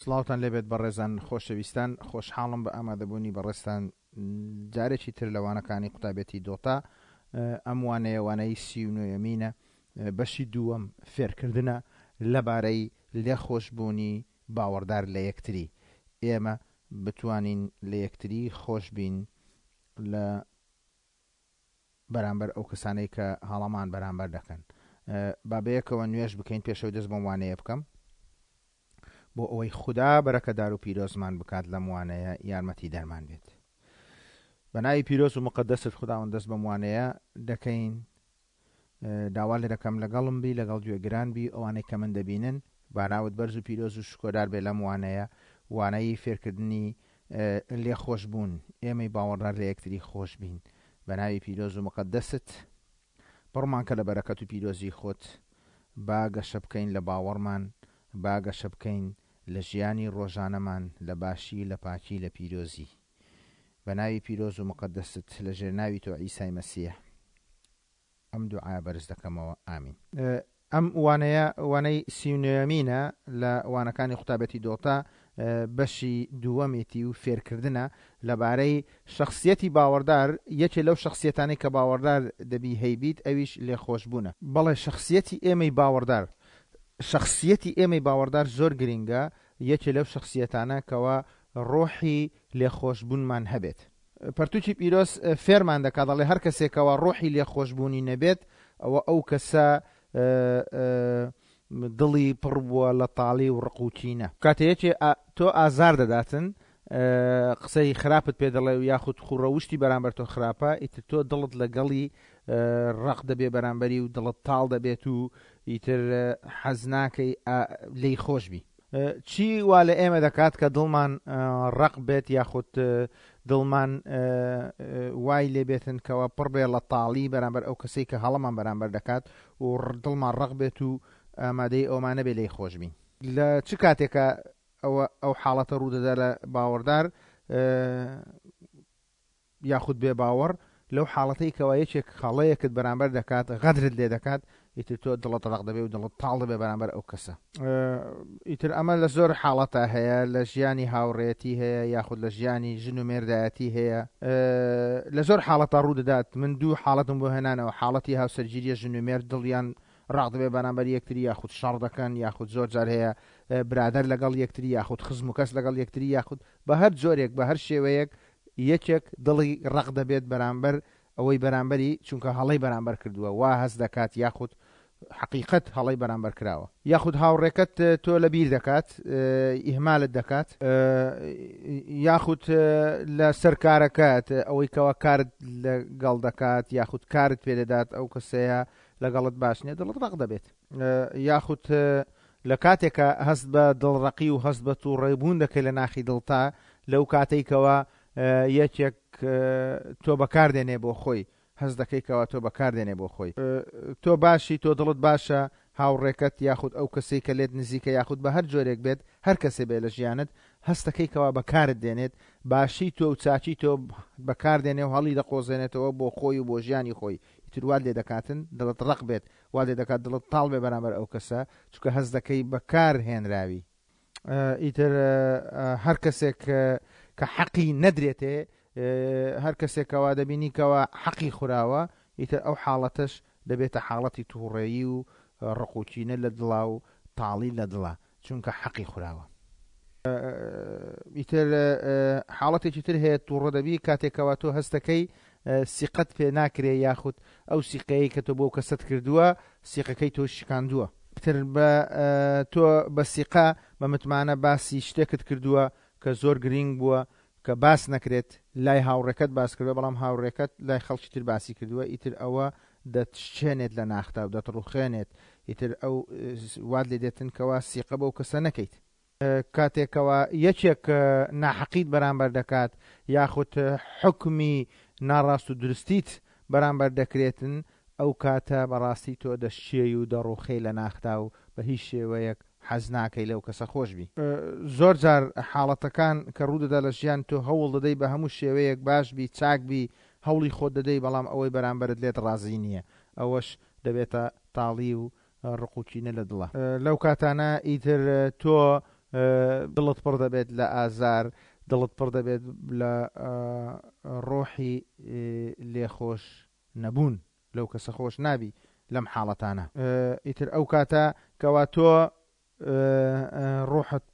سڵاوتان لێبێت بەڕێزان خۆشەویستان، خۆشحاڵم بە ئامادەبوونی بەڕێزتان جارێکی تر لە وانەکانی قوتابێتی دۆتا. ئەم وانەیە وانەی 39یەمینە، بەشی دووەم فێرکردنە لەبارەی لێخۆشبوونی باوەڕدار لە یەکتری. ئێمە بتوانین لە یەکتری خۆش بین لە بەرامبەر ئەو کەسانەی کە هەڵەمان بەرامبەر دەکەن. با بەیەکەوە نوێژ بکەین پێشەوەی دەست بەم وانەیە بکەم بۆ ئەوەی خودا بەرەکەدار و پیرۆزمان بکات لەم وانەیە یارمەتی دەرمان بێت. بە ناوی پیرۆز و مقدست خوداوەند دەست بەم وانەیە دەکەین. داوا لێ دەکەم لەگەڵم بی، لەگەڵ گوێگران بی، ئەوانەی کە من دەبینن. با ناوت بەرز و پیرۆز و شکۆدار بێ لەم وانەیە، وانەی فێرکردنی لێخۆشبوون، ئێمەی باوەڕدار لە یەکتری خۆش بین. بە ناوی پیرۆز و مقەدەست پڕمان کە لە بەرەکەت و پیرۆزی خۆت. با گەشە بکەین لە باوەڕمان، با گەشە بکەین لە ژیانی ڕۆژانەمان، لە باشی، لە پاکی، لە پیرۆزی. بە ناوی پیرۆز و مقەدەست لە ژێر ناوی تۆ عیسای مەسیح ئەم دوعایە بەرز دەکەمەوە ئامین. ئەم وانەیە وانەی 39یەمینە لە وانەکانی قوتابێتی دۆتا، بەشی دووەمێتی و فێرکردنە لەبارەی شەخسیەتی باوەڕدار. یەکێ لەو شەخسیەتانەی کە باوەڕدار دەبی هەیبیت ئەویش لێخۆشبوونە. بەڵێ شەخسیەتی ئێمەی باوەڕدار، شەخسیەتی ئێمەی باوەڕدار زۆر گرینگە، یەکێ لەو شەخسیەتانە کەوا ڕۆحی لێخۆشبوونمان هەبێت. پەرتوکی پیرۆز فێرمان دەکات دەڵێ هەر کەسێک کەوا ڕۆحی لێخۆشبوونی نەبێت ئەوە ئەو کەسە دڵی پڕ بووە لە تاڵی و ڕق و کینە. کاتێ یەکێ تۆ ئازار دەداتن، قسەی خراپت پێ دەڵێ و یاخود خووڕەوشتی بەرامبەر تۆ خراپە، ئیتر تۆ دڵت لەگەڵی ڕەق دەبێ بەرامبەری و دڵت تاڵ دەبێت و ئیتر حەز ناکەی لێی خۆش بی. چی وا لە ئێمە دەکات کە دڵمان ڕەق بێت یاخود دڵمان وای لێ بێتن کەوا پڕ بێ لە تاڵی بەرامبەر ئەو کەسەی کە هەڵەمان بەرامبەر دەکات و دڵمان ڕەق بێت و ئامادەی ئەومان نەبێ لێی خۆش بین؟ لە چ کاتێکە ئەوە ئەو حاڵەتە ڕوودەدا لە باوەڕدار یاخود بێ باوەڕ؟ لەو حاڵەتەی کەوا یەکێک هەڵەیەکت بەرامبەر دەکات، غەدرت لێ دەکات، ئیتر تۆ دڵت ڕەق دەبێ و دڵت تاڵ دەبێ بەرامبەر ئەو کەسە. ئیتر ئەمە لە زۆر حاڵەتا هەیە، لە ژیانی هاوڕێیەتی هەیە، یاخود لە ژیانی ژن و مێردایەتی هەیە، لە زۆر حاڵەتا ڕوو دەدات. من دوو حاڵەتم بۆ هێنانەوە، حاڵەتی هاوسەرگیریە، ژن و مێرد دڵیان ڕەق دەبێ بەرامبەر یەکتری، یاخود شەڕ دەکەن، یاخود زۆر جار هەیە برادەر لەگەڵ یەکتری، یاخود خزم و کەس لەگەڵ یەکتری، یاخود بە هەر جۆرێک بە هەر شێوەیەک یەکێک دڵی ڕەق دەبێت بەرامبەر ئەوەی بەرامبەری چونکە هەڵەی بەرامبەر کردووە وا هەست دەکات یاخود حەقیقەت هەڵەی بەرامبەر کراوە. یاخود هاوڕێکەت تۆ لە بیر دەکات ئیهمالت دەکات. یاخود لە سەر کارەکەت ئەوەی کەوا کارت لەگەڵ دەکات یاخود کارت پێ دەدات ئەو کەسەیە لەگەڵت باش نیە دڵت ڕەق دەبێت. یاخود لە کاتێکا هەست بە دڵڕەقی و هەست بە توڕەبوون دەکەی لە ناخی دڵتا لەو کاتەی کەوا یەکێک تۆ بەکار دێنێ بۆ خۆی، هەست دەکەی کەوا تۆ بەکار دێنێ بۆ خۆی. تۆ باشی، تۆ دڵت باشە، هاوڕێکەت یاخود ئەو کەسەی کە لێت نزیکە یاخود بە هەر جۆرێک بێت هەر کەسێ بێ لە ژیانت هەست دەکەی کەوا بەکارت دێنێت، باشی تۆ و چاکی تۆ بەکار دێنێ و هەڵی دەقۆزێنێتەوە بۆ خۆی و بۆ ژیانی خۆی، ئیتر وات لێ دەکاتن دڵت ڕەق بێت، وا لێ دەکات دڵت تاڵ بێ بەرامبەر ئەو کەسە چونکە هەست دەکەی بەکار هێنراوی. ئیتر هەر کەسێک کە حەقی نەدرێتێ، هەر کەسێک کەوا دەبینی کەوا حەقی خوراوە، ئیتر ئەو حاڵەتەش دەبێتە حاڵەتی تووڕەیی و ڕق و کینە لە دڵا و تاڵی لە دڵا چونکە حەقی خوراوە. ئیتر حاڵەتێکی تر هەیە تووڕە دەبی کاتێک کەوا تۆ هەستەکەی سیقەت پێ ناکرێ یاخود ئەو سیقەیەی کە تۆ بۆ کەسەت کردووە سیقەکەی تۆ شکاندووە. ئیتر بە تۆ بە سیقە بە متمانە باسی شتێکت کردووە کە زۆر گرینگ بووە کە باس نەکرێت لای هاوڕێکەت باس کردووە بەڵام هاوڕێکەت لای خەڵکی تر باسی کردووە ئیتر ئەوە دەتشچێنێت لە ناختا و دەتڕوخێنێت ئیتر ئەو وات لێ دێتن کەوا سیقە بەو کەسە نەکەیت. کاتێک کەوا یەکێک ناحەقیت بەرامبەر دەکات یاخود حوکمی ناڕاست و دروستیت بەرامبەر دەکرێتن ئەو کاتە بەڕاستی تۆ دەشچێی و دەڕوخێی لە ناختا و بە هیچ شێوەیەک حەز ناکەی لەو کەسە خۆش بی. زۆر جار حاڵەتەکان کە ڕوودەدا لە ژیان تۆ هەوڵ دەدەی بە هەموو شێوەیەک باش بی چاک بی هەوڵی خۆت دەدەی بەڵام ئەوەی بەرامبەرت لێت ڕازی نییە ئەوەش دەبێتە تاڵی و ڕق و کینە لە دڵا. لەو کاتانە ئیتر تۆ دڵت پڕ دەبێت لە ئازار، دڵت پڕ دەبێت لە ڕۆحی لێخۆش نەبوون، لەو کەسە خۆش نابی لەم حاڵەتانە. ئیتر ئەو کاتە کەوا تۆ ڕۆحت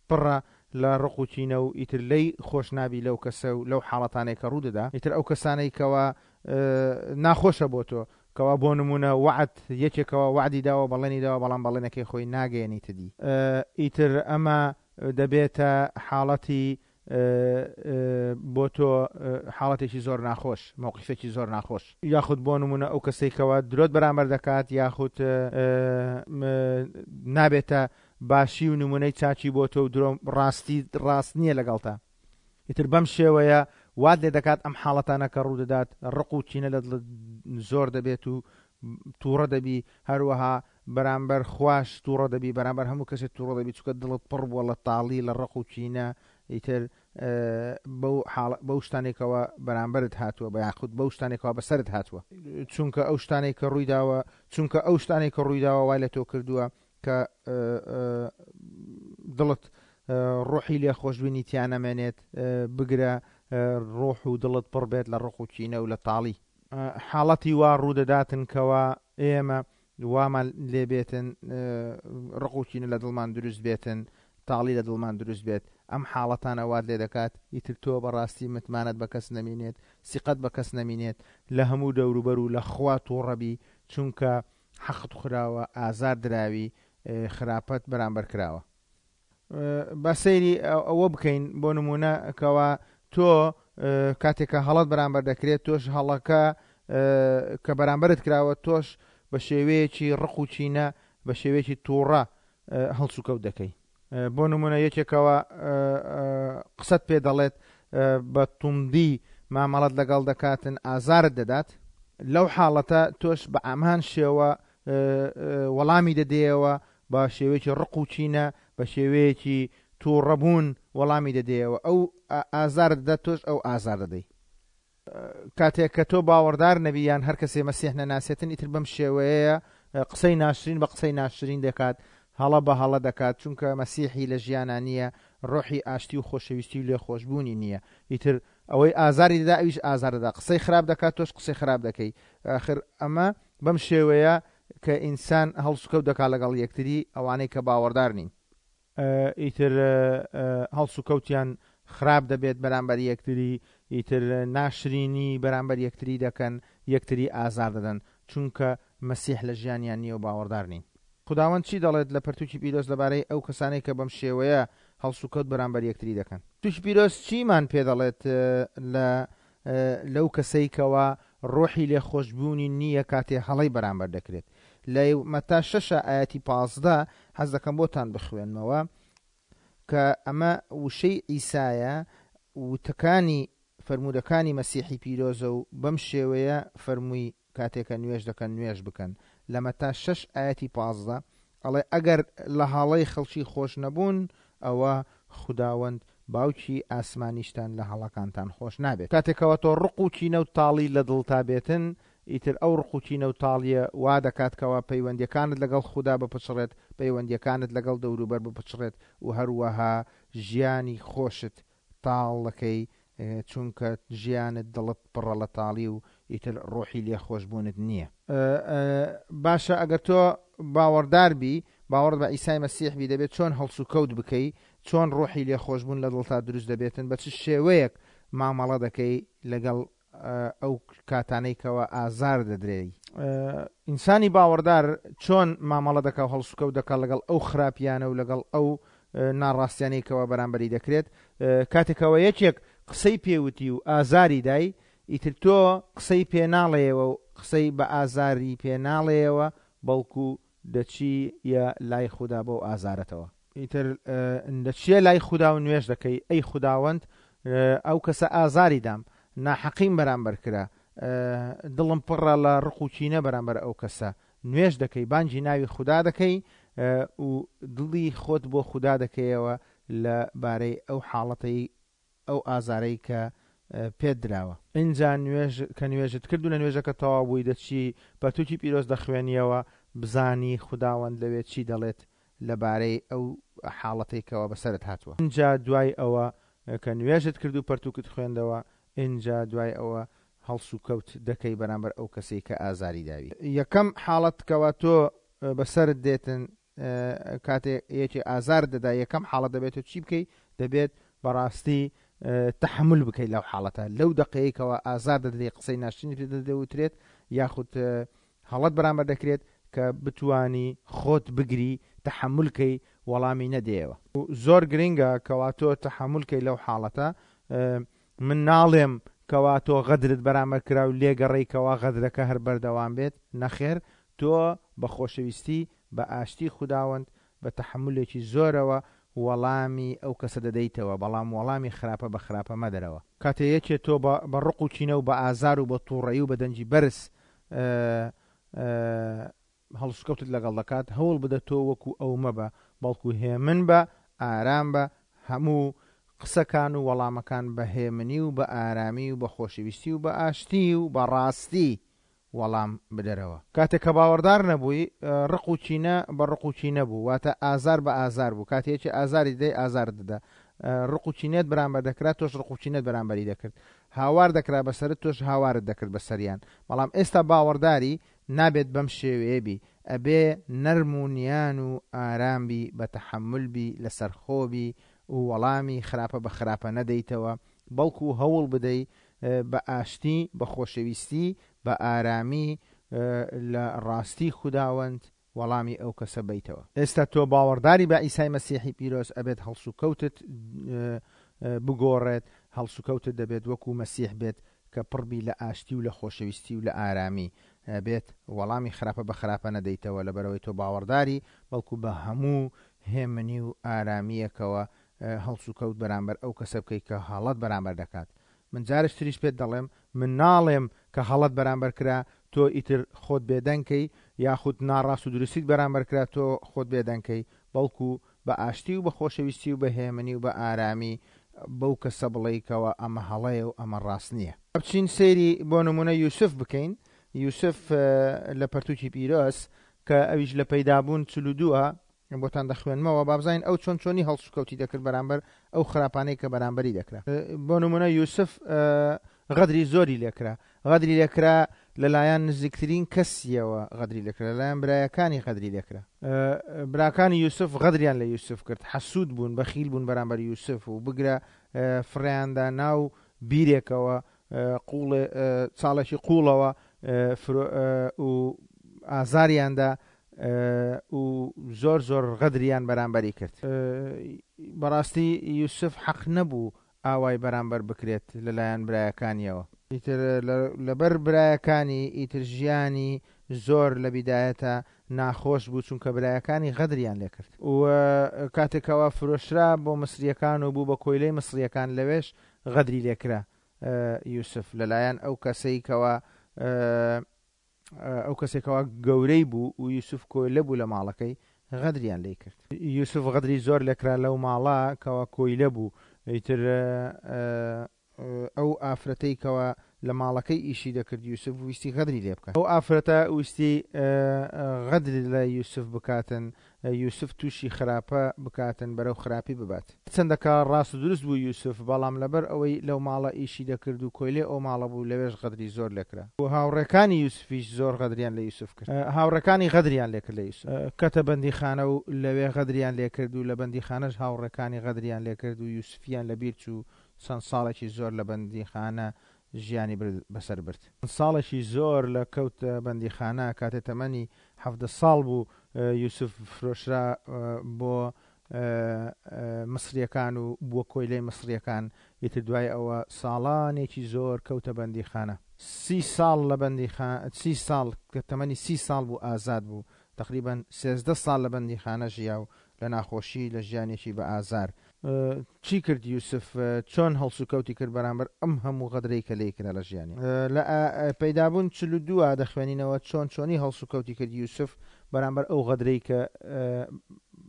پڕە لە ڕق و کینە و ئیتر لێی خۆش نابی لەو کەسە و لەو حاڵەتانەی کە ڕوو دەدا، ئیتر ئەو کەسانەی کەوا ناخۆشە بۆ تۆ، کەوا بۆ نموونە وەعد یەکێک کەوا وەعدی داوە بەڵێنی داوە بەڵام بەڵێنەکەی خۆی ناگەیەنیتە دی، ئیتر ئەمە دەبێتە حاڵەتی بۆ تۆ حاڵەتێکی زۆر ناخۆش، مەوقیفێکی زۆر ناخۆش. یاخود بۆ نموونە ئەو کەسەی کەوا درۆت بەرامبەر دەکات یاخود نابێتە باشی و نموونەی چاکی بۆ تۆ و درۆ ڕاستی ڕاست نییە لەگەڵتا. ئیتر بەم شێوەیە وات لێ دەکات ئەم حاڵەتانە کە ڕوودەدات ڕق و کینە لە دڵت زۆر دەبێت و تووڕە دەبی، هەروەها بەرامبەر خواش تووڕە دەبی، بەرامبەر هەموو کەسێک تووڕە دەبی، چونکە دڵت پڕ بووە لە تاڵی، لە ڕق و کینە، ئیتر بەو حاڵ بەو شتانەی کەوا بەرامبەرت هاتووە بە یاخود بەو شتانەی کەوا بەسەرت هاتووە. چونکە ئەو شتانەی کە ڕوویداوە چونکە ئەو شتانەی کە ڕوویداوە وای لە تۆ کردووە کە دڵت ڕۆحی لێخۆشبوونی تیا نەمێنێت، بگرە ڕۆح و دڵت پڕ بێت لە ڕق و کینە و لە تاڵی. حاڵەتی وا ڕوودەداتن کەوا ئێمە وامان لێ بێتن ڕق و کینە لە دڵمان دروست بێتن، تاڵی لە دڵمان دروست بێت، ئەم حاڵەتانە وات لێ دەکات ئیتر تۆ بەڕاستی متمانەت بە کەس نەمینێت، سیقەت بە کەس نەمینێت، لە هەموو دەوروبەر و لە خوا توڕە بی، چونکە حەقت خوراوە، ئازار دراوی، خراپەت بەرامبەر کراوە. با سەیری ئەوە بکەین بۆ نموونە کەوا تۆ کاتێک کە هەڵەت بەرامبەر دەکرێت تۆش هەڵەکە کە بەرامبەرت کراوە تۆش بە شێوەیەکی ڕق و چینە بە شێوەیەکی تووڕە هەڵسوکەوت دەکەی. بۆ نمونە یەکێکەوە قسەت پێ دەڵێت بە توندی مامەڵەت لەگەڵ دەکاتن ئازارت دەدات لەو حاڵەتە تۆش بە ئامان شێوە وەڵامی دەدەیەوە بە شێوەیەکی ڕق و کینە بە شێوەیەکی تووڕەبوون وەڵامی دەدەیەوە ئەو ئازارت دەدات تۆش ئەو ئازار دەدەی. کاتێک کە تۆ باوەڕدار نەبی یان هەر کەسێ مەسیح نەناسێتن ئیتر بەم شێوەیەیە قسەی ناشرین بە قسەی ناشرین دەکات هەڵە بە هەڵە دەکات چونکە مەسیحی لە ژیانا نییە ڕۆحی ئاشتی و خۆشەویستی و لێخۆشبوونی نییە ئیتر ئەوەی ئازاری دەدا ئەویش ئازار دەدا قسەی خراپ دەکات تۆش قسەی خراپ دەکەی ئاخر ئەمە بەم شێوەیە کە ئینسان هەڵسوکەوت دەکات لەگەڵ یەکتری ئەوانەی کە باوەڕدار نین. ئیتر هەڵسوکەوتیان خراپ دەبێت بەرامبەر یەکتری، ئیتر ناشرینی بەرامبەر یەکتری دەکەن، یەکتری ئازار دەدەن، چونکە مەسیح لە ژیانیان نییە و باوەڕدار نین. خوداوەند چی دەڵێت لە پەرتوکی پیرۆز لەبارەی ئەو کەسانەی کە بەم شێوەیە هەڵسوکەوت بەرامبەر یەکتری دەکەن؟ پەرتوکی پیرۆز چیمان پێ دەڵێت لە لەو کەسەی کەوا ڕۆحی لێخۆشبوونی نییە کاتێ هەڵەی بەرامبەر دەکرێت؟ لە مەتا شەشە ئایەتی 15 حەز دەکەم بۆتان بخوێنمەوە کە ئەمە وشەی عیسایە وتەکانی فەرموودەکانی مەسیحی پیرۆزە و بەم شێوەیە فەرمووی کاتێ کە نوێژ دەکەن نوێژ بکەن لە مەتا شەش ئایەتی 15 ئەڵێ ئەگەر لە هەڵەی خەڵکی خۆش نەبوون ئەوە خوداوەند باوکی ئاسمانیشتان لە هەڵەکانتان خۆش نابێت. کاتێک کەوا تۆ ڕق و کینە و تاڵی لە دڵتا بێتن ئیتر ئەو ڕق و کینە و تاڵیە وا دەکات کەوا پەیوەندیەکانت لەگەڵ خودا بپچڕێت پەیوەندیەکانت لەگەڵ دەوروبەر بپچڕێت و هەروەها ژیانی خۆشت تاڵ دەکەی چونکە ژیانت دڵت پڕە لە تاڵی و ئیتر ڕۆحی لێخۆشبوونت نییە. باشە ئەگەر تۆ باوەڕدار بی، باوەڕت بە عیسای مەسیح بی دەبێت چۆن هەڵسوکەوت بکەی، چۆن ڕۆحی لێخۆشبوون لە دڵتا دروست دەبێتن، بە چ شێوەیەک مامەڵە دەکەی لەگەڵ ئەو کاتانەی کەوا ئازار دەدرێی. ئینسانی باوەڕدار چۆن مامەڵە دەکا و هەڵسوکەوت دەکا لەگەڵ ئەو خراپیانە و لەگەڵ ئەو ناڕاستیانەی کەوا بەرامبەری دەکرێت؟ کاتێک کەوا یەکێک قسەی پێ وتی و ئازاری دای، ئیتر تۆ قسەی پێ ناڵێیەوە و قسەی بە ئازاری پێ ناڵێیەوە، بەڵکو دەچییە لای خودا بەو ئازارەتەوە. ئیتر دەچییە لای خودا و نوێژ دەکەی، ئەی خوداوەند، ئەو کەسە ئازاری دام، ناحەقیم بەرامبەر کرا، دڵم پڕە لە ڕق و کینە بەرامبەر ئەو کەسە. نوێژ دەکەی، بانگی ناوی خودا دەکەی و دڵی خۆت بۆ خودا دەکەیەوە لە بارەی ئەو حاڵەتەی ئەو ئازارەی کە پێت دراوە. ئینجا نوێژ کە نوێژت کرد و لە نوێژەکە تەواو بووی دەچی پەرتوکی پیرۆز دەخوێنیەوە بزانی خوداوەند لەوێ چی دەڵێت لەبارەی ئەو حاڵەتەی کەوا بەسەرت هاتووە. ئینجا دوای ئەوە کە نوێژت کرد و پەرتووکت خوێندەوە، ئینجا دوای ئەوە هەڵسوکەوت دەکەی بەرامبەر ئەو کەسەی کە ئازاری داوی. یەکەم حاڵەت کەوا تۆ بەسەرت دێتن کاتێ یەکێ ئازارت دەدا یەکەم حاڵەت دەبێت تۆ چی بکەی؟ دەبێت بەڕاستی تەحەمول بکەی لەو حاڵەتە لەو دەقەیەی کەوا ئازار دەدرێ قسەی ناشرینت پێ دەوترێت یاخود هەڵەت بەرامبەر دەکرێت کە بتوانی خۆت بگری تەحەمول کەی وەڵامی نەدەیەوە. زۆر گرنگە کەوا تۆ تەحەمول کەی لەو حاڵەتە من ناڵێم کەوا تۆ غەدرت بەرامبەر کرا و لێگەڕێی کەوا غەدرەکە هەر بەردەوام بێت نەخێر تۆ بە خۆشەویستی بە ئاشتی خوداوەند بە تەحەمولێکی زۆرەوە وەڵامی ئەو کەسە دەدەیتەوە، بەڵام وەڵامی خراپە بە خراپە مەدەرەوە. کاتێ یەکێ تۆ بە بە ڕق و کینە و بە ئازار و بە توڕەیی و بە دەنگی بەرز هەڵسوکەوتت لەگەڵ دەکات، هەوڵ بدە تۆ وەکو ئەو مەبە، بەڵکو هێمن بە، ئارام بە، هەموو قسەکان و وەڵامەکان بە هێمنی و بە ئارامی و بە خۆشەویستی و بە ئاشتی و بە ڕاستی وەڵام بدەرەوە. کاتێک کە باوەڕدار نەبووی، ڕق و کینە بە ڕق و کینە بوو، واتە ئازار بە ئازار بوو، کاتێ یەکێ ئازاری دەدای ئازارت دەدا، ڕق و کینەت بەرامبەر دەکرا تۆش ڕق و کینەت بەرامبەری دەکرد، هاوار دەکرا بەسەرت تۆش هاوارت دەکرد بەسەریان، بەڵام ئێستا باوەڕداری نابێت بەم شێوەیە بی، ئەبێ نەرم و نیان و ئارام بی، بە تەحەمول بی، لەسەرخۆ بی و وەڵامی خراپە بە خراپە نەدەیتەوە، بەڵکو هەوڵ بدەی بە ئاشتی، بە خۆشەویستی، بە ئارامی لە ڕاستی خوداوەند وەڵامی ئەو کەسە بەیتەوە. ئێستا تۆ باوەڕداری بە عیسای مەسیحی پیرۆز ئەبێت هەڵسوکەوتت بگۆڕێت، هەڵسوکەوتت دەبێت وەکو مەسیح بێت کە پڕ بی لە ئاشتی و لە خۆشەویستی و لە ئارامی. ئەبێت وەڵامی خراپە بە خراپە نەدەیتەوە لەبەرئەوەی تۆ باوەڕداری، بەڵکو بە هەموو هێمنی و ئارامییەکەوە هەڵسوکەوت بەرامبەر ئەو کەسە بکەی کە هەڵەت بەرامبەر دەکات. من جارێکی تریش پێت دەڵێم، من ناڵێم کە هەڵەت بەرامبەر کرا تۆ ئیتر خۆت بێدەنگ کەی، یاخود ناڕاست و دروستیت بەرامبەر کرا تۆ خۆت بێدەنگ کەی، بەڵکو بە ئاشتی و بە خۆشەویستی و بە هێمنی و بە ئارامی بەو کەسە بڵێی کەوا ئەمە هەڵەیە و ئەمە ڕاست نییە. با بچین سەیری بۆ نموونە یوسف بکەین، یوسف لە پەرتووکی پیرۆز کە ئەویش لە پەیدابوون 42 ە، بۆتان دەخوێنمەوە با بزانین ئەو چۆن چۆنی هەڵسوکەوتی دەکرد بەرامبەر ئەو خراپانەی کە بەرامبەری دەکرا. بۆ نمونە یوسف غەدری زۆری لێکرا، غەدری لێکرا لەلایەن نزیکترین کەسیەوە غەدری لێکرا، لەلایەن برایەکانی غەدری لێکرا. براکانی یوسف غەدریان لە یوسف کرد، حەسود بوون، بەخیل بوون بەرامبەر یوسف و بگرە فڕێیاندا ناو بیرێکەوە، قوڵێ چاڵێکی قوڵەوە و ئازاریاندا و زۆر زۆر غەدریان بەرامبەری کرد. بەڕاستی یوسف حەق نەبوو ئاوای بەرامبەر بکرێت لەلایەن برایەکانیەوە. ئیتر لەبەر برایەکانی ئیتر ژیانی زۆر لە بیدایەتە ناخۆش بوو چونکە برایەکانی غەدریان لێکرد. و کاتێک کەوا فرۆشرا بۆ مسریەکان و بوو بە کۆیلەی مسریەکان لەوێش غەدری لێکرا یوسف لەلایەن ئەو کەسەی کەوا ئەو کەسێک کەوا گەورەی بوو و یوسف کۆیلە بوو لە ماڵەکەی غەدریان لێی کرد. یوسف غەدری زۆر لێکرا لەو ماڵە کەوا کۆیلە بوو ئیتر ئەو ئافرەتەی کەوا لە ماڵەکەی ئیشی دەکرد یوسف ویستی غەدری لێ بکات. ئەو ئافرەتە ویستی غەدر لە یوسف بکاتن یوسف تووشی خراپە بکاتن بەرەو خراپی ببات. هەرچەندە کە ڕاست و دروست بوو یوسف، بەڵام لەبەر ئەوەی لەو ماڵە ئیشی دەکرد و کۆیلەی ئەو ماڵە بوو لەوێش غەدری زۆر لێکرا. و هاوڕێکانی یوسفیش زۆر غەدریان لە یوسف کرد. هاوڕێکانی غەدریان لێکرد لە یوسف. کەتە بەندیخانە و لەوێ غەدریان لێکرد و لە بەندیخانەش هاوڕێکانی غەدریان لێکرد و یوسفیان لەبیر چوو چەند ساڵێکی زۆر لە بەندیخانە ژیانی بەسەر برد. ساڵێکی زۆر لە کەوتە بەندیخانە، کاتێ تەمەنی 17 ساڵ بوو یوسف فرۆشرا بۆ مسریەکان و بووە کۆیلەی مسریەکان، ئیتر دوای ئەوە ساڵانێکی زۆر کەوتە بەندیخانە. سی ساڵ لە بەندیخا سی ساڵ کە تەمەنی سی ساڵ بوو ئازاد بوو، تەقریبەن 13 ساڵ لە بەندیخانە ژیا و لە ناخۆشی لە ژیانێکی بە ئازار. چی کرد یوسف چۆن هەڵسوکەوتی کرد بەرامبەر ئەم هەموو غەدرەی کە لێی کرا لە ژیانی؟ لە پەیدابوون 42 دەخوێنینەوە چۆن چۆنی هەڵسوکەوتی کرد یوسف بەرامبەر ئەو غەدرەی کە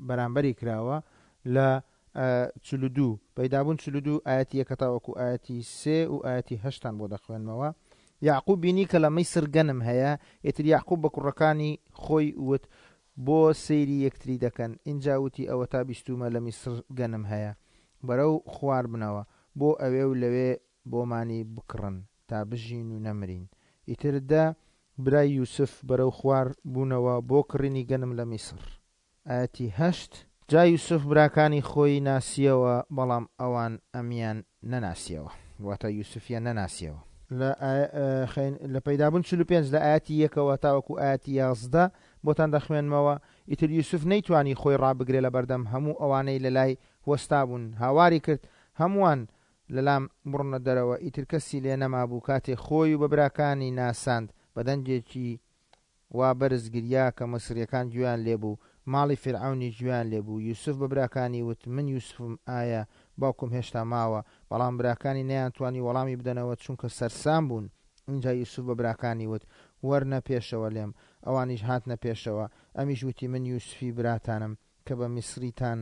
بەرامبەری کراوە لە 42 پەیدابوون 42 ئایەتی یەکە تاوەکو ئایەتی سێ و ئایەتی هەشتان بۆ دەخوێنمەوە. یەعقوب بینی کە لە میسر گەنم هەیە، ئیتر یەعقوب بە کوڕەکانی خۆی وت. بۆ سەیری یەکتری دەکەن؟ ئینجا وتی، ئەوەتا بیستوومە لە میسر گەنم هەیە. بەرەو خوار بنەوە بۆ ئەوێ و لەوێ بۆمانی بکڕن تا بژین و نەمرین. ئیتر دە برای یوسف بەرەو خوار بوونەوە بۆ کڕینی گەنم لە میسر. ئایەتی هەشت، جا یوسف براکانی خۆی ناسییەوە، بەڵام ئەوان ئەمیان نەناسییەوە، واتە یوسفیان نەناسییەوە. لە لە پەیدابوون 45 لە ئایەتی یەکەوە تاوەکو ئایەتی 11 بۆتان دەخوێنمەوە، ئیتر یوسف نەیتوانی خۆی ڕابگرێ لەبەردەم هەموو ئەوانەی لەلای وەستابوون، هاواری کرد، هەمووان لەلام بڕۆنە دەرەوە، ئیتر کەسی لێ نەمابوو، کاتێ خۆی و بە براکانی ناساند، بە دەنگێکی وا بەرز گریا کە میسرییەکان گوێیان لێ بوو، ماڵی فیرعەونیش گوێیان لێ بوو. یوسف بە براکانی وت، من یوسفم، ئایا باوکم هێشتا ماوە؟ بەڵام براکانی نەیانتوانی وەڵامی بدەنەوە، چونکە سەرسام بوون. ئینجا یوسف بە براکانی وت، وەرنە پێشەوە لێم. ئەوانیش هاتنە پێشەوە. ئەمیش وتی، من یوسفی براتانم کە بە میسریتان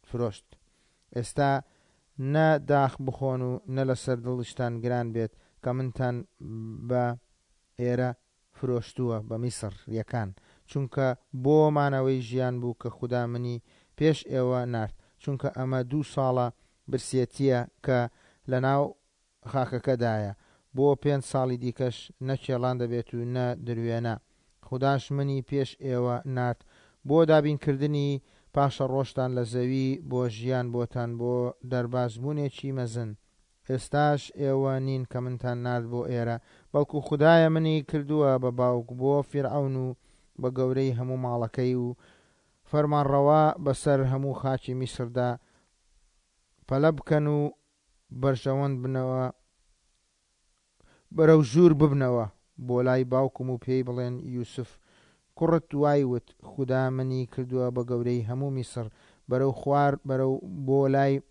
فرۆشت. ئێستا نە داخ بخۆن و نە لەسەر دڵیشتان گران بێت کە منتان بە ئێرە فرۆشتووە بە میسڕ یەکان، چونکە بۆ مانەوەی ژیان بوو کە خودا منی پێش ئێوە نارد، چونکە ئەمە دوو ساڵە برسێتییە کە لەناو خاکەکەدایە، بۆ پێنج ساڵی دیکەش نە کێڵان دەبێت و نە دروێنە، خوداش منی پێش ئێوە نارد بۆ دابینکردنی پاشەڕۆژتان لە زەوی بۆ ژیان بۆتان بۆ دەربازبوونێکی مەزن. ئێستاش ئێوە نین کە منتان نارد بۆ ئێرە، بەڵکو خودایە منی کردووە بە باوک بۆ فیرعەون و بە گەورەی هەموو ماڵەکەی و فەرمانڕەوا بەسەر هەموو خاکی میسردا. پەلە بکەن و بەرژەوەند بنەوە، بەرەو ژوور ببنەوە بۆ لای باوکم و پێی بڵێن، یوسف کوڕت وای وت، خودا منی کردووە بە گەورەی هەموو میسر، بەرەو خوار بەرەو بۆ لای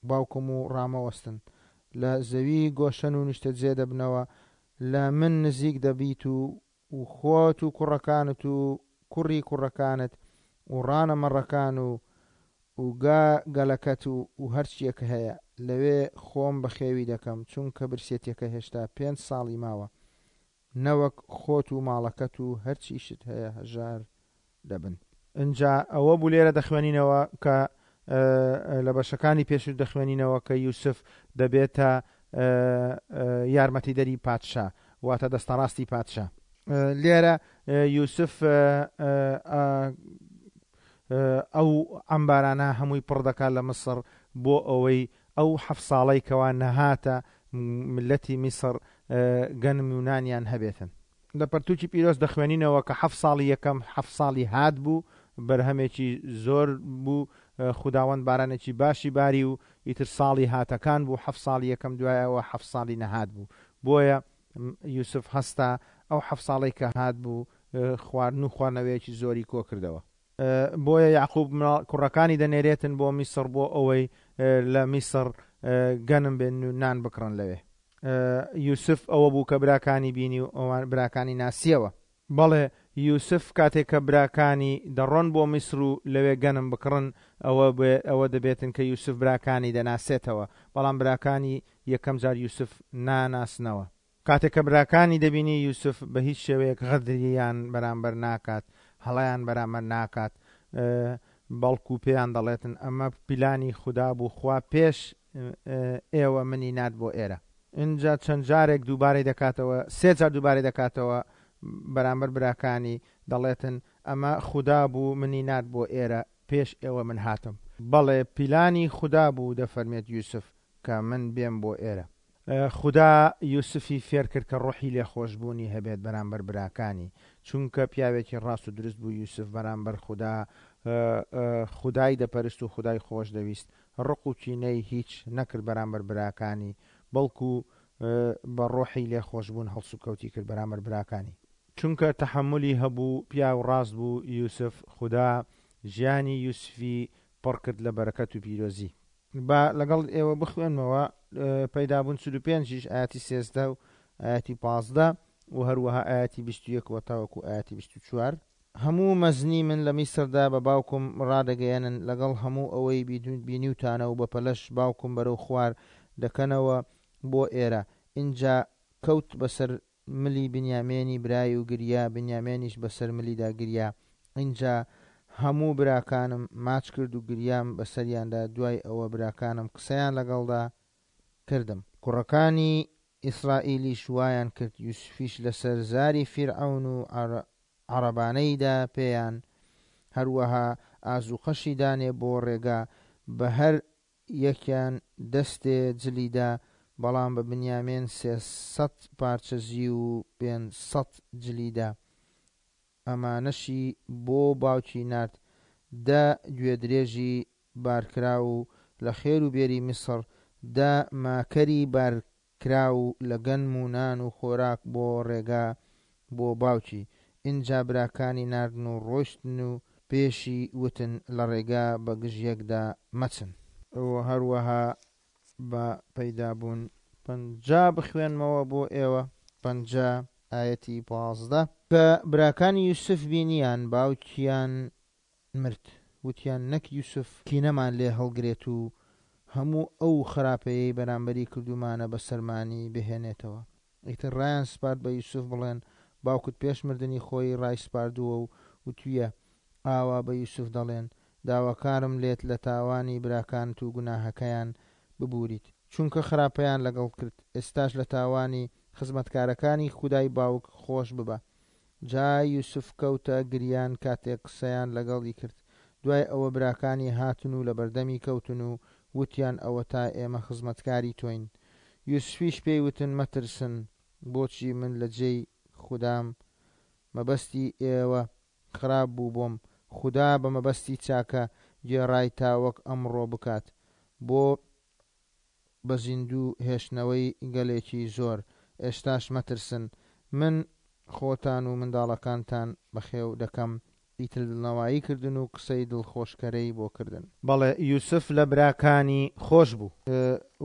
باوکم و ڕامەوەستن. لە زەوی گۆشەن و نیشتەجێ دەبنەوە، لە من نزیک دەبیت و و خۆت و کوڕەکانت و کوڕی کوڕەکانت و ڕانە مەڕەکان و و گا گەلەکەت و و هەرچیەک هەیە، لەوێ خۆم بەخێوی دەکەم، چونکە برسێتیەکە هێشتا پێنج ساڵی ماوە، نەوەک خۆت و ماڵەکەت و هەرچیشت هەیە هەژار دەبن. ئینجا ئەوە بوو لێرە دەخوێنینەوە کە لە بەشەکانی پێشوو دەخوێنینەوە کە یوسف دەبێتە یارمەتیدەری پادشا، واتە دەستەڕاستی پادشا. لێرە یوسف ئەو عەمبارانە هەمووی پڕ دەکات لە میسڕ بۆ ئەوەی ئەو حەفت ساڵەی کەوا نەهاتە میللەتی میسڕ گەنم و نانیان هەبێتن. لە پەرتووکی پیرۆز دەخوێنینەوە کە حەفت ساڵی یەکەم حەفت ساڵی هات بوو، بەرهەمێکی زۆر بوو، خوداوەند بارانێکی باشی باری و ئیتر ساڵی هاتەکان بوو، حەفت ساڵی یەکەم دوای ئەوە حەفت ساڵی نەهات بوو. بۆیە یوسف هەستا ئەو حەفت ساڵەی کە هات بوو خواردن و خواردنەوەیەکی زۆری کۆکردەوە. بۆیە یەعقوب کوڕەکانی دەنێرێتن بۆ میسڕ بۆ ئەوەی لە میسڕ گەنم بێنن و نان بکڕن لەوێ. یوسف ئەوە بوو کە براکانی بینی و ئەوان براکانی ناسیەوە. بەڵێ، یوسف کاتێک کە براکانی دەڕۆن بۆ میسر و لەوێ گەنم بکڕن، ئەوە ئەوە دەبێتن کە یوسف براکانی دەناسێتەوە، بەڵام براکانی یەکەم جار یوسف ناناسنەوە. کاتێک کە براکانی دەبینی یوسف بە هیچ شێوەیەک غەدریان بەرامبەر ناکات، هەڵەیان بەرامبەر ناکات، بەڵکو پێیان دەڵێتن ئەمە پیلانی خودا بوو، خوا پێش ئێوە منی نارد بۆ ئێرە. ئینجا چەند جارێک دووبارەی دەکاتەوە، سێ جار دووبارەی دەکاتەوە بەرامبەر براکانی دەڵێتن ئەمە خودا بوو منی نارد بۆ ئێرە، پێش ئێوە من هاتم. بەڵێ پیلانی خودا بوو دەفەرمێت یوسف کە من بێم بۆ ئێرە. خودا یوسفی فێرکرد کە ڕۆحی لێخۆشبوونی هەبێت بەرامبەر براکانی، چونکە پیاوێکی ڕاست و دروست بوو یوسف بەرامبەر خودا خودای دەپەرست و خودای خۆشدەویست، ڕق و کینەی هیچ نەکرد بەرامبەر براکانی، بەڵکو بە ڕۆحی لێخۆشبوون هەڵسوکەوتی کرد بەرامبەر براکانی. چونکە تەحەمولی هەبوو، پیاو ڕاست بوو یوسف، خودا ژیانی یوسفی پڕکرد لە بەرەکەت و پیرۆزی. با لەگەڵ ئێوە بخوێنمەوە پەیدابوون 45 یش ئایەتی 13 و ئایەتی 15 و هەروەها ئایەتی 21 وە تاوەکو ئایەتی 24. هەموو مەزنی من لە میسردا بە باوکم ڕادەگەیەنن، لەگەڵ هەموو ئەوەی بینیوتانە و بە پەلەش باوکم بەرەو خوار دەکەنەوە بۆ ئێرە. ئینجا کەوت بەسەر ملی بنیامینی برای و گریا، بنیامینیش بەسەر ملیدا گریا. ئینجا هەموو براکانم ماچ کرد و گریام بەسەریاندا، دوای ئەوە براکانم قسەیان لەگەڵدا کردم. کوڕەکانی ئیسرائیلیش وایان کرد، یوسفیش لەسەر زاری فیرعەون و عەڕەبانەی دا پێیان، هەروەها ئازووقەشی دانێ بۆ ڕێگا، بە هەر یەکیان دەستێ جلی دا، بەڵام بە بنیامین 300 پارچە زیو و 500 جلی دا. ئەمانەشی بۆ باوکی نارد، 10 گوێدرێژی بارکراو و لە خێر و بێری میسڕ، 10 ماکەری بارکراو لە گەنم و نان و خۆراک بۆ ڕێگا بۆ باوکی. ئینجا براکانی ناردن و ڕۆیشتن و پێشی وتن، لە ڕێگا بە گژ یەکدا مەچن. و هەروەها بە پەیدابوون 50 بخوێنمەوە بۆ ئێوە، 50 ئایەتی 15. کە براکانی یوسف بینیان باوکیان مرد، وتیان نەک یوسف کینەمان لێ هەڵگرێت و هەموو ئەو خراپەیەی بەرامبەری کردوومانە بەسەرمانی بهێنێتەوە. ئیتر ڕایان سپارد بە یوسف بڵێن، باوکت پێش مردنی خۆی ڕایسپاردووە و وتویە، ئاوا بە یوسف دەڵێن، داواکارم لێت لە تاوانی براکانت و گوناهەکەیان ببوریت، چونکە خراپەیان لەگەڵ کرد، ئێستاش لە تاوانی خزمەتکارەکانی خودای باوک خۆش ببە. جا یوسف کەوتە گریان کاتێک قسەیان لەگەڵی کرد. دوای ئەوە براکانی هاتن و لەبەردەمی کەوتن و وتیان ئەوەتا ئێمە خزمەتکاری تۆین. یوسفیش پێی وتن مەترسن، بۆچی من لە جێی خودام؟ مەبەستی ئێوە خراپ بوو بۆم، خودا بە مەبەستی چاکە گێڕای تا وەک ئەمڕۆ بکات، بۆ بە زیندوو هێشتنەوەی گەلێکی زۆر. ئێستاش مەترسن، من خۆتان و منداڵەکانتان بەخێو دەکەم. ئیتر دڵنەوایی کردن و قسەی دڵخۆشکەرەی بۆ کردن. بەڵێ، یوسف لە براکانی خۆش بوو.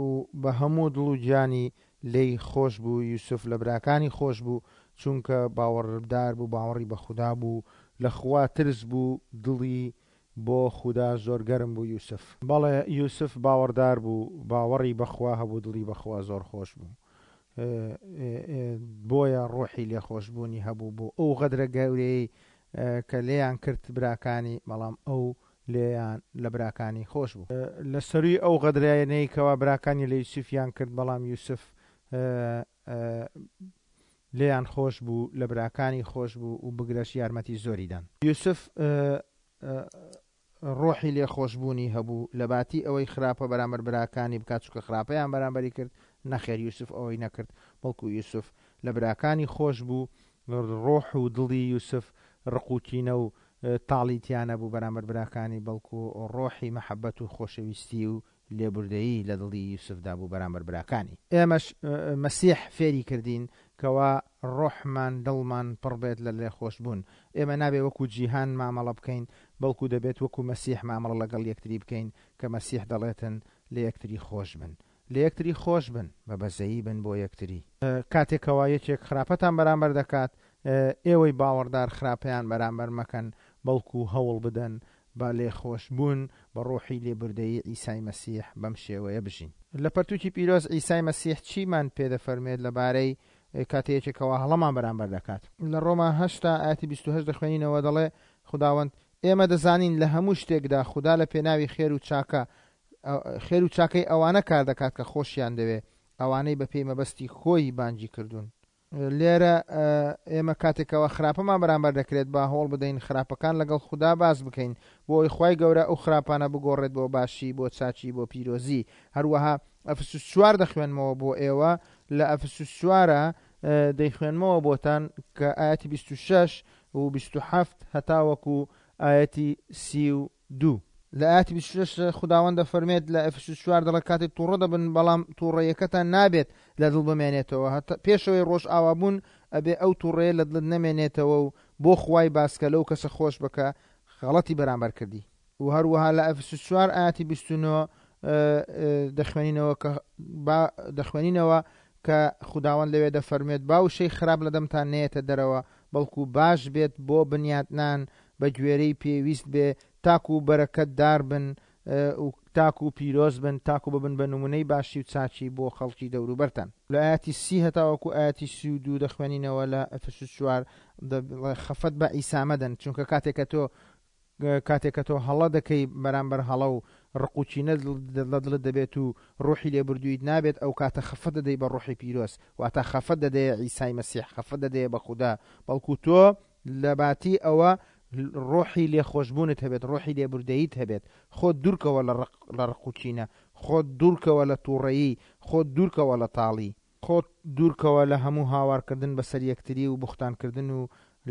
و بە هەموو دڵ و گیانی لێی خۆش بوو. یوسف لە براکانی خۆش بوو، چونکە باوەڕدار بوو، باوەڕی بە خودا بوو، لە خوا ترس بوو، دڵی بۆ خودا زۆر گەرم بوو. یوسف. بەڵێ، یوسف باوەڕدار بوو، باوەڕی بە خوا هەبوو، دڵی بە خوا زۆر خۆش بوو، بۆیە ڕۆحی لێخۆشبوونی هەبوو بۆ ئەو غەدرە گەورەیەی کە لێیان کرد براکانی، بەڵام ئەو لێیان لە براکانی خۆش بوو. لە سەرووی ئەو غەدرانەی کەوا براکانی لە یوسفیان کرد، بەڵام یوسف لێیان خۆش بوو، لە براکانی خۆش بوو و بگرەش یارمەتی زۆری دان. یوسف ڕۆحی لێخۆشبوونی هەبوو، لەباتی ئەوەی خراپە بەرامبەر براکانی بکات، چونکە خراپەیان بەرامبەری کرد، نەخێر یوسف ئەوەی نەکرد، بەڵکو یوسف لە براکانی خۆش بوو، ڕۆح و دڵی یوسف ڕق و کینە و تاڵی تیا نەبوو بەرامبەر براکانی، بەڵکو ڕۆحی مەحەبەت و خۆشەویستی و لێبوردەیی لە دڵی یوسفدا بوو بەرامبەر براکانی. ئێمەش مەسیح فێری کردین کەوا ڕۆحمان دڵمان پڕ بێت لە لێخۆشبوون. ئێمە نابێ وەکو جیهان مامەڵە بکەین، بەڵکو دەبێت وەکو مەسیح مامەڵە لەگەڵ یەکتری بکەین کە مەسیح دەڵێتن لە یەکتری خۆش بن. لە یەکتری خۆش بن، بە بەزەیی بن بۆ یەکتری. کاتێک کەوا یەکێک خراپەتان بەرامبەر دەکات، ئێوەی باوەڕدار خراپەیان بەرامبەر مەکەن، بەڵکو هەوڵ بدەن بە لێخۆشبوون بە ڕۆحی لێبوردەیی عیسای مەسیح بەم شێوەیە بژین. لە پەرتوکی پیرۆز عیسای مەسیح چیمان پێ دەفەرموێت لەبارەی کاتێ یەکێک کەوا هەڵەمان بەرامبەر دەکات؟ لە ڕۆما هەشتا ئایەتی 28 دەخوێنینەوە دەڵێ خوداوەند ئێمە دەزانین لە هەموو شتێکدا خودا لە پێناوی خێر و چاکە خێر و چاکەی ئەوانە کار دەکات کە خۆشیان دەوێ، ئەوانەی بەپێی مەبەستی خۆی بانگی کردوون. لێرە ئێمە کاتێک کەوا خراپەمان بەرامبەر دەکرێت با هەوڵ بدەین خراپەکان لەگەڵ خودا باس بکەین بۆ ئەوەی خوای گەورە ئەو خراپانە بگۆڕێت بۆ باشی بۆ چاکی بۆ پیرۆزی. هەروەها ئەفسوس چوار دەخوێنمەوە بۆ ئێوە لە ئەفسوس چوارە دەیخوێنمەوە بۆتان کە ئایەتی 26 و 27 هەتاوەکو ئایەتی 32. لە ئایەتی 26 خوداوەند دەفەرمێت لە ئەفسوس چوار دەڵێت کاتێک تووڕە دەبن بەڵام تووڕەیەکەتان نابێت لە دڵ بمێنێتەوە هەتا پێشەوەی ڕۆژ ئاوابوون ئەبێ ئەو تووڕەیە لە دڵت نەمێنێتەوە و بۆ خوای باسکە لەو کەسە خۆش بکە غەڵەتی بەرامبەر کردی. و هەروەها لە ئەفسوس چوار ئایەتی 29 دەخوێنینەوە کە با دەخوێنینەوە کە خوداوەند لەوێ دەفەرموێت با وشەی خراپ لە دەمتان نەیەتە دەرەوە بەڵکو باش بێت بۆ بنیاتنان بە گوێرەی پێویست بێ تاکو بەرەکەتدار بن و تاکو پیرۆز بن، تاکو ببن بە نمونەی باشی و چاکی بۆ خەڵکی دەوروبەرتان. لە ئایەتی 30 هەتاوەکو ئایەتی 32 دەخوێنینەوە لە ئەفەسوس 4، خەفەت بە عیسا مەدەن، چونکە کاتێک کە تۆ کاتێک کە تۆ هەڵە دەکەی بەرامبەر هەڵە و ڕق و کینە لە دڵت دەبێت و ڕۆحی لێبوردوویت نابێت، ئەو کاتە خەفەت دەدەی بە ڕۆحی پیرۆز، واتە خەفەت دەدەیە عیسای مەسیح، خەفەت دەدەیە بە خودا، بەڵکو تۆ لەباتی ئەوە ڕۆحی لێخۆشبوونت هەبێت، ڕۆحی لێبوردەییت هەبێت، خۆت دوورکەوە لە ڕق لە ڕق و کینە، خۆت دوورکەوە لە تووڕەیی، خۆت دوورکەوە لە تاڵی، خۆت دوورکەوە لە هەموو هاوارکردن بەسەر یەکتری و بوختانکردن و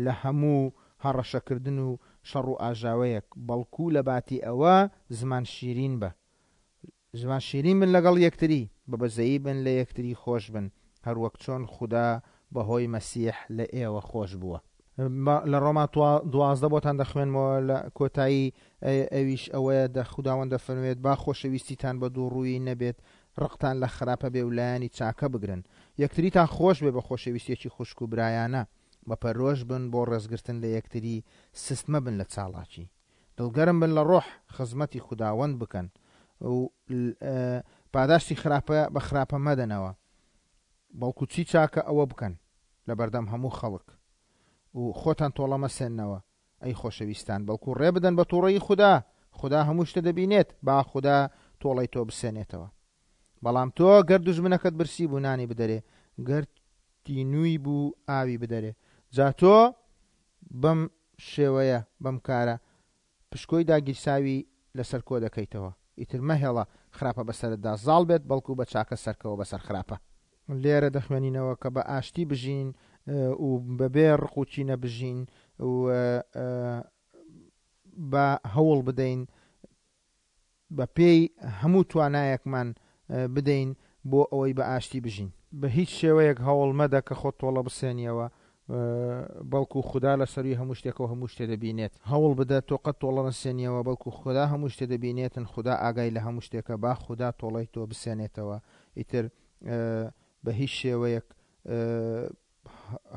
لە هەموو هەڕەشەکردن و شەڕ و ئاژاوەیەک، بەڵکو لەباتی ئەوە زمان شیرین بە. زمان شیرین بن لەگەڵ یەکتری، بە بەزەیی بن لە یەکتری خۆش بن، هەروەک چۆن خودا بەهۆی مەسیح لە ئێوە خۆش بووە. لە ڕۆما 12 بۆتان دەخوێنمەوە لە کۆتایی ئەویش ئەوەیە دە خوداوەند دەفەرموێت با خۆشەویستیتان بە دووڕوویی نەبێت، ڕقتان لە خراپە بێ و لایەنی چاکە بگرن. یەکتریتان خۆش بێ بە خۆشەویستیەکی خوشک و برایانە. بە پەرۆش بن بۆ ڕێزگرتن لە یەکتری، سست مەبن لە چاڵاکی. دڵگەرم بن لە ڕۆح، خزمەتی خوداوەند بکەن و پاداشتی خراپە بە خراپە مەدەنەوە، بەڵکو چی چاکە ئەوە بکەن لەبەردەم هەموو خەڵک و خۆتان تۆڵە مەسێننەوە، ئەی خۆشەویستان، بەڵکو ڕێ بدەن بە توڕەیی خودا، خودا هەموو شتە دەبینێت، با خودا تۆڵەی تۆ بسێنێتەوە. بەڵام تۆ گەر دوژمنەکەت برسی بوو نانی بدەرێ، گەر تینووی بوو ئاوی بدەرێ. جا تۆ بەم شێوەیە، بەم کارە، پشکۆی داگیرساوی لەسەر کۆ دەکەیتەوە. ئیتر مەهێڵە خراپە بەسەرتدا زاڵ بێت، بەڵکو بە چاکە سەرکەوە بەسەر خراپە. لێرە دەخوێنینەوە کە بە ئاشتی بژین و بەبێ ڕق و کینە بژین و با هەوڵ بدەین بە پێی هەموو توانایەکمان بدەین بۆ ئەوەی بە ئاشتی بژین. بە هیچ شێوەیەک هەوڵ مەدە کە خۆت تۆڵە بسێنیەوە، بەڵکو خودا لە سەرووی هەموو شتێکەوە هەموو شتێ دەبینێت. هەوڵ بدە تۆ قەت تۆڵە نەسێنیەوە، بەڵکو خودا هەموو شتێ دەبینێتن، خودا ئاگای لە هەموو شتێکە، با خودا تۆڵەی تۆ بسێنێتەوە. ئیتر بە هیچ شێوەیەک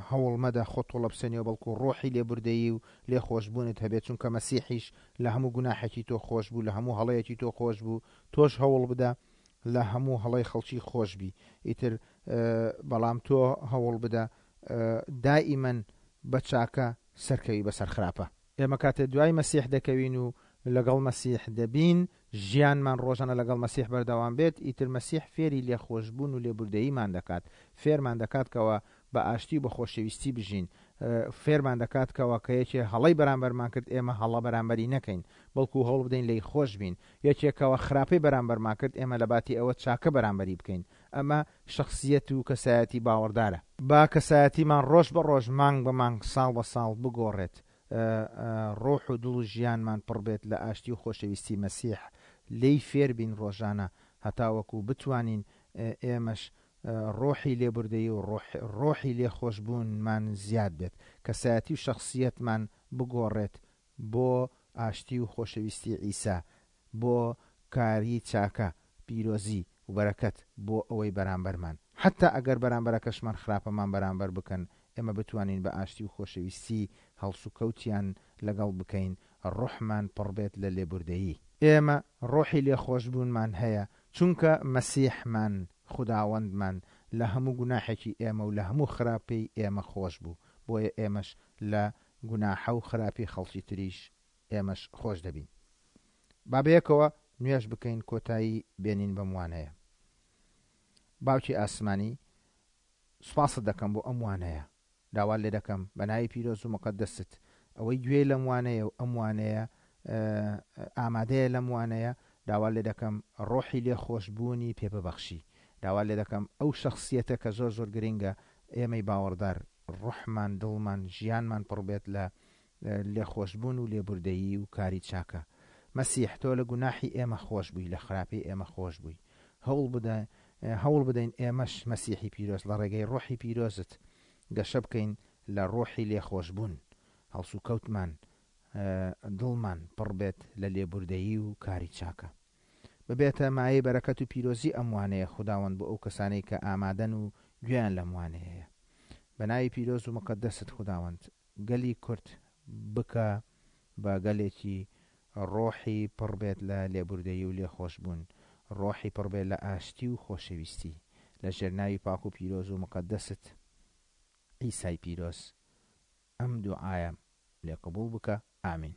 هەوڵ مەدە خۆت تۆڵە بسێنیەوە، بەڵکو ڕۆحی لێبوردەیی و لێخۆشبوونت هەبێت، چونکە مەسیحیش لە هەموو گوناحێکی تۆ خۆش بوو، لە هەموو هەڵەیەکی تۆ خۆش بوو، تۆش هەوڵ بدە لە هەموو هەڵەی خەڵکی خۆش بی، ئیتر بەڵام تۆ هەوڵ بدە دائیمەن بە چاکە سەرکەوی بەسەر خراپە. ئێمە کاتێ دوای مەسیح دەکەوین و لەگەڵ مەسیح دەبین، ژیانمان ڕۆژانە لەگەڵ مەسیح بەردەوام بێت، ئیتر مەسیح فێری لێخۆشبوون و لێبوردەییمان دەکات، فێرمان دەکات کەوا بە ئاشتی و بە خۆشەویستی بژین، فێرمان دەکات کەوا کە یەکێ هەڵەی بەرامبەرمان کرد ئێمە هەڵە بەرامبەری نەکەین، بەڵکو هەوڵ بدەین لێی خۆش بین، یەکێ کەوا خراپەی بەرامبەرمان کرد ئێمە لەباتی ئەوە چاکە بەرامبەری بکەین، ئەمە شەخسیەت و کەسایەتی باوەڕدارە. با کەسایەتیمان ڕۆژ بە ڕۆژ، مانگ بە مانگ، ساڵ بە ساڵ بگۆڕێت، ڕۆح و دڵ و ژیانمان پڕ بێت لە ئاشتی و خۆشەویستی مەسیح، لێی فێر بین ڕۆژانە هەتاوەکو بتوانین ئێمەش ڕۆحی لێبوردەیی و ڕۆحی لێخۆشبوونمان زیاد بێت، کەسایەتی و شەخسیەتمان بگۆڕێت بۆ ئاشتی و خۆشەویستی عیسا، بۆ کاری چاکە، پیرۆزی و بەرەکەت بۆ ئەوەی بەرامبەرمان، حەتتا ئەگەر بەرامبەرەکەشمان خراپەمان بەرامبەر بکەن، ئێمە بتوانین بە ئاشتی و خۆشەویستی هەڵسوکەوتیان لەگەڵ بکەین، ڕۆحمان پڕبێت لە لێبوردەیی. ئێمە ڕۆحی لێخۆشبوونمان هەیە، چونکە مەسیحمان، خوداوەندمان، لە هەموو گوناحێکی ئێمە و لە هەموو خراپەی ئێمە خۆش بوو، بۆیە ئێمەش لە گوناحە و خراپی خەڵکی تریش ئێمەش خۆش دەبین. با بەیەکەوە نوێژ بکەین کۆتایی بێنین بەم وانەیە. باوکی ئاسمانی سوپاست دەکەم بۆ ئەم وانەیە. داوات لێ دەکەم بە ناوی پیرۆز و موقەدەست ئەوەی گوێی لەم وانەیە و ئەم وانەیە ئامادەیە لەم وانەیە داوات لێ دەکەم ڕۆحی لێ خۆشبوونی پێ ببەخشی. داوات لێ دەکەم ئەو شەخسیەتە کە زۆر زۆر گرینگە ئێمەی باوەڕدار ڕۆحمان دڵمان ژیانمان پڕ بێت لە لێخۆشبوون و لێبوردەیی و کاری چاکە. مەسیح تۆ لە گوناحی ئێمە خۆش بووی، لە خراپەی ئێمە خۆش بووی. هەوڵ بدە هەوڵ بدەین ئێمەش مەسیحی پیرۆز لە ڕێگەی ڕۆحی پیرۆزت گەشە بکەین لە ڕۆحی لێخۆشبوون، هەڵسوکەوتمان دڵمان پڕ بێت لە لێبوردەیی و کاری چاکە. ببێتە مایەی بەرەکەت و پیرۆزی ئەم وانەیە خوداوەند بۆ ئەو کەسانەی کە ئامادەن و گوێیان لەم وانەیەیە. بە ناوی پیرۆز و موقەدەست خوداوەند گەلی کورد بکە بە گەلێکی ڕۆحی پڕ بێت لە لێبوردەیی و لێخۆشبوون، ڕۆحی پڕ بێت لە ئاشتی و خۆشەویستی، لە ژێر ناوی پاک و پیرۆز و موقەدەست عیسای پیرۆز ئەم دوعایەم لێ قبوڵ بکە ئامین.